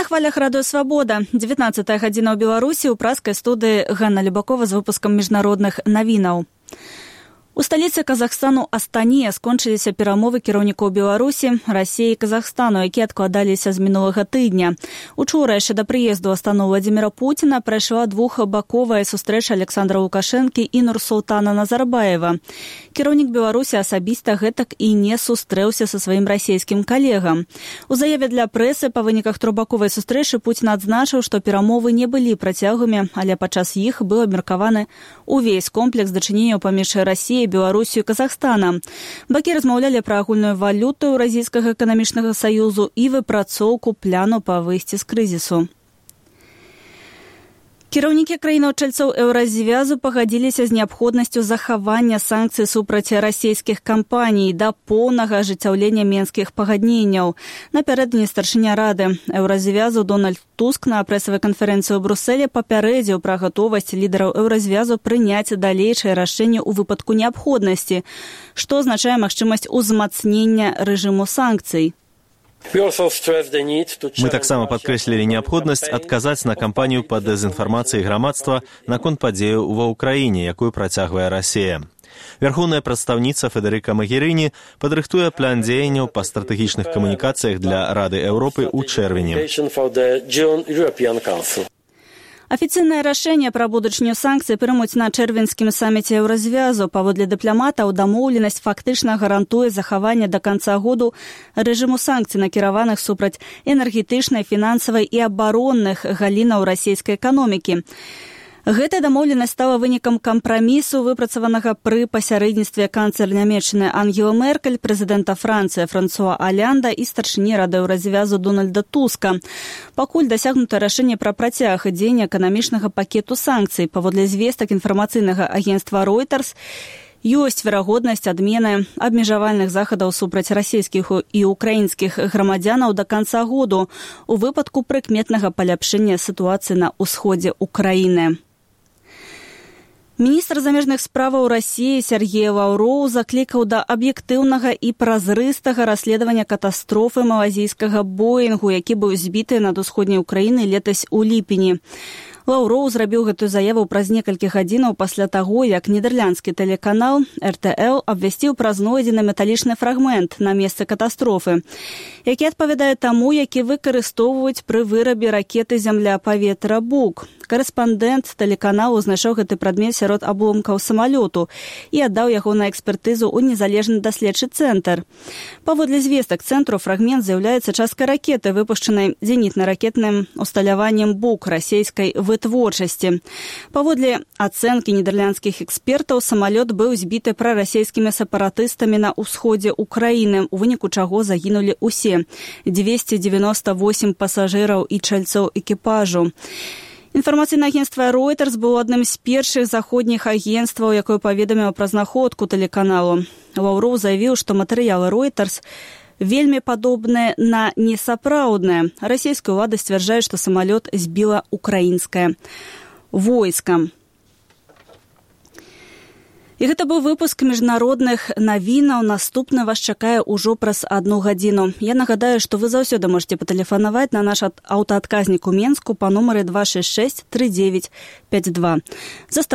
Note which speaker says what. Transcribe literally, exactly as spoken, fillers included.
Speaker 1: хвалях радыё «Свабода». дзевятнаццатая гадзіна ў Беларусі, у праскай студыі Ганна Любакова з выпускам міжнародных навінаў. У сталіцы Казахстану Астане скончыліся перамовы кіраўнікоў Беларусі, Расіі і Казахстану, якія адкладаліся з мінулага тыдня. Учора яшчэ да прыезду ў Астану Владзіміра Пуціна прайшла двухбаковая сустрэча Александра Лукашэнкі і Нурсултана Назарбаева. Кіраўнік Беларусі асабіста гэтак і не сустрэўся са сваім расійскім калегам. У заяве для прэсы па выніках трохбаковай сустрэчы Пуцін адзначыў, што перамовы не былі працяглымі, але падчас іх быў абмеркаваны увесь комплекс дачыненняў паміж Расіяй, Беларусію і Казахстана. Бакі размаўлялі пра агульную валюту Еўразійскага эканамічнага саюзу і выпрацоўку пляну па выйсці з крызісу. Кіраўнікі краінаў-чальцоў Еўразвязу пагадзіліся з неабходнасцю захавання санкцый супраць расійскіх кампаній да поўнага ажыццяўлення менскіх пагадненняў. Напярэдадні старшыня рады Еўразвязу Дональд Туск на прэсавай канферэнцыі ў Брусэле папярэдзіў пра гатовасць лідараў Еўразвязу прыняць далейшае рашэнне ў выпадку неабходнасці, што азначае магчымасць узмацнення рэжыму санкцый.
Speaker 2: Мы таксама падкрэслілі неабходнасць адказаць на кампанію па дэзінфармацыі грамадства наконт падзеяў ва ўкраіне, якую працягвае Расія. Вярхоўная прадстаўніца Федэрыка Магерыні падрыхтуе план дзеянняў па стратэгічных камунікацыях для Рады Еўропы ў чэрвені.
Speaker 1: Афіцыйнае рашэнне пра будучыню санкцый прымуць на чэрвеньскім саміце Еўразвязу. Паводле дыпламатаў, дамоўленасць фактычна гарантуе захаванне да канца году рэжыму санкцый, накіраваных супраць энергетычнай, фінансавай і абаронных галінаў расійскай эканомікі. Гэтая дамоўленасць стала вынікам кампрамісу, выпрацаванага пры пасярэдніцтве канцлер Нямецчыны Ангелы Меркель, прэзідэнта Францыі Франсуа Олянда і старшыні рады Еўразвязу Дональда Туска. Пакуль дасягнута рашэнне пра працяг дзеяння эканамічнага пакету санкцый. Паводле звестак інфармацыйнага агенцтва Reuters, ёсць верагоднасць адмены абмежавальных захадаў супраць расійскіх і украінскіх грамадзянаў да канца году у выпадку прыкметнага паляпшэння сітуацыі на ўсходзе Украіны. Міністр замежных справаў Расіі Сергей Лаўроў заклікаў да аб'ектыўнага і празрыстага расследавання катастрофы малазійскага Боінгу, які быў збіты над усходняй Украінай летась у ліпені. Лаўроў зрабіў гэтую заяву праз некалькі гадзінаў пасля таго, як нідэрландскі тэлеканал эр тэ эл абвясціў пра знойдзены металічны фрагмент на месцы катастрофы, які адпавядае таму, які выкарыстоўваюць пры вырабе ракеты «Зямля-паветра Бук». Карэспандэнт тэлеканалу знайшоў гэты прадмет сярод абломкаў самалёту і аддаў яго на экспертызу ў незалежны даследчы цэнтр. Паводле звестак цэнтру, фрагмент з'яўляецца часткай ракеты, выпушчанай зенітна-ракетным усталяваннем Бук расійскай вытворчасці. Паводле ацэнкі нідэрландскіх экспертаў, самалёт быў збіты прарасійскімі сепаратыстамі на ўсходзе Украіны, у выніку чаго загінулі ўсе дзвесце дзевяноста восем пасажыраў і чальцоў экіпажу. Інфармацыйнае агенцтва Reuters было адным з першых заходніх агенцтваў, якое паведаміла пра знаходку тэлеканалу. Лаўроў заявіў, што матэрыялы Reuters вельмі падобныя на несапраўдныя. Расійская ўлада сцвярджае, што самалёт збіла украінскае войска. І гэта быў выпуск міжнародных навінаў. Наступны вас чакае ўжо праз адну гадзіну. Я нагадаю, што вы заўсёды можете патэлефанаваць на наш аўтаадказнік у Менску па нумары два шэсць шэсць тры дзевяць пяць два.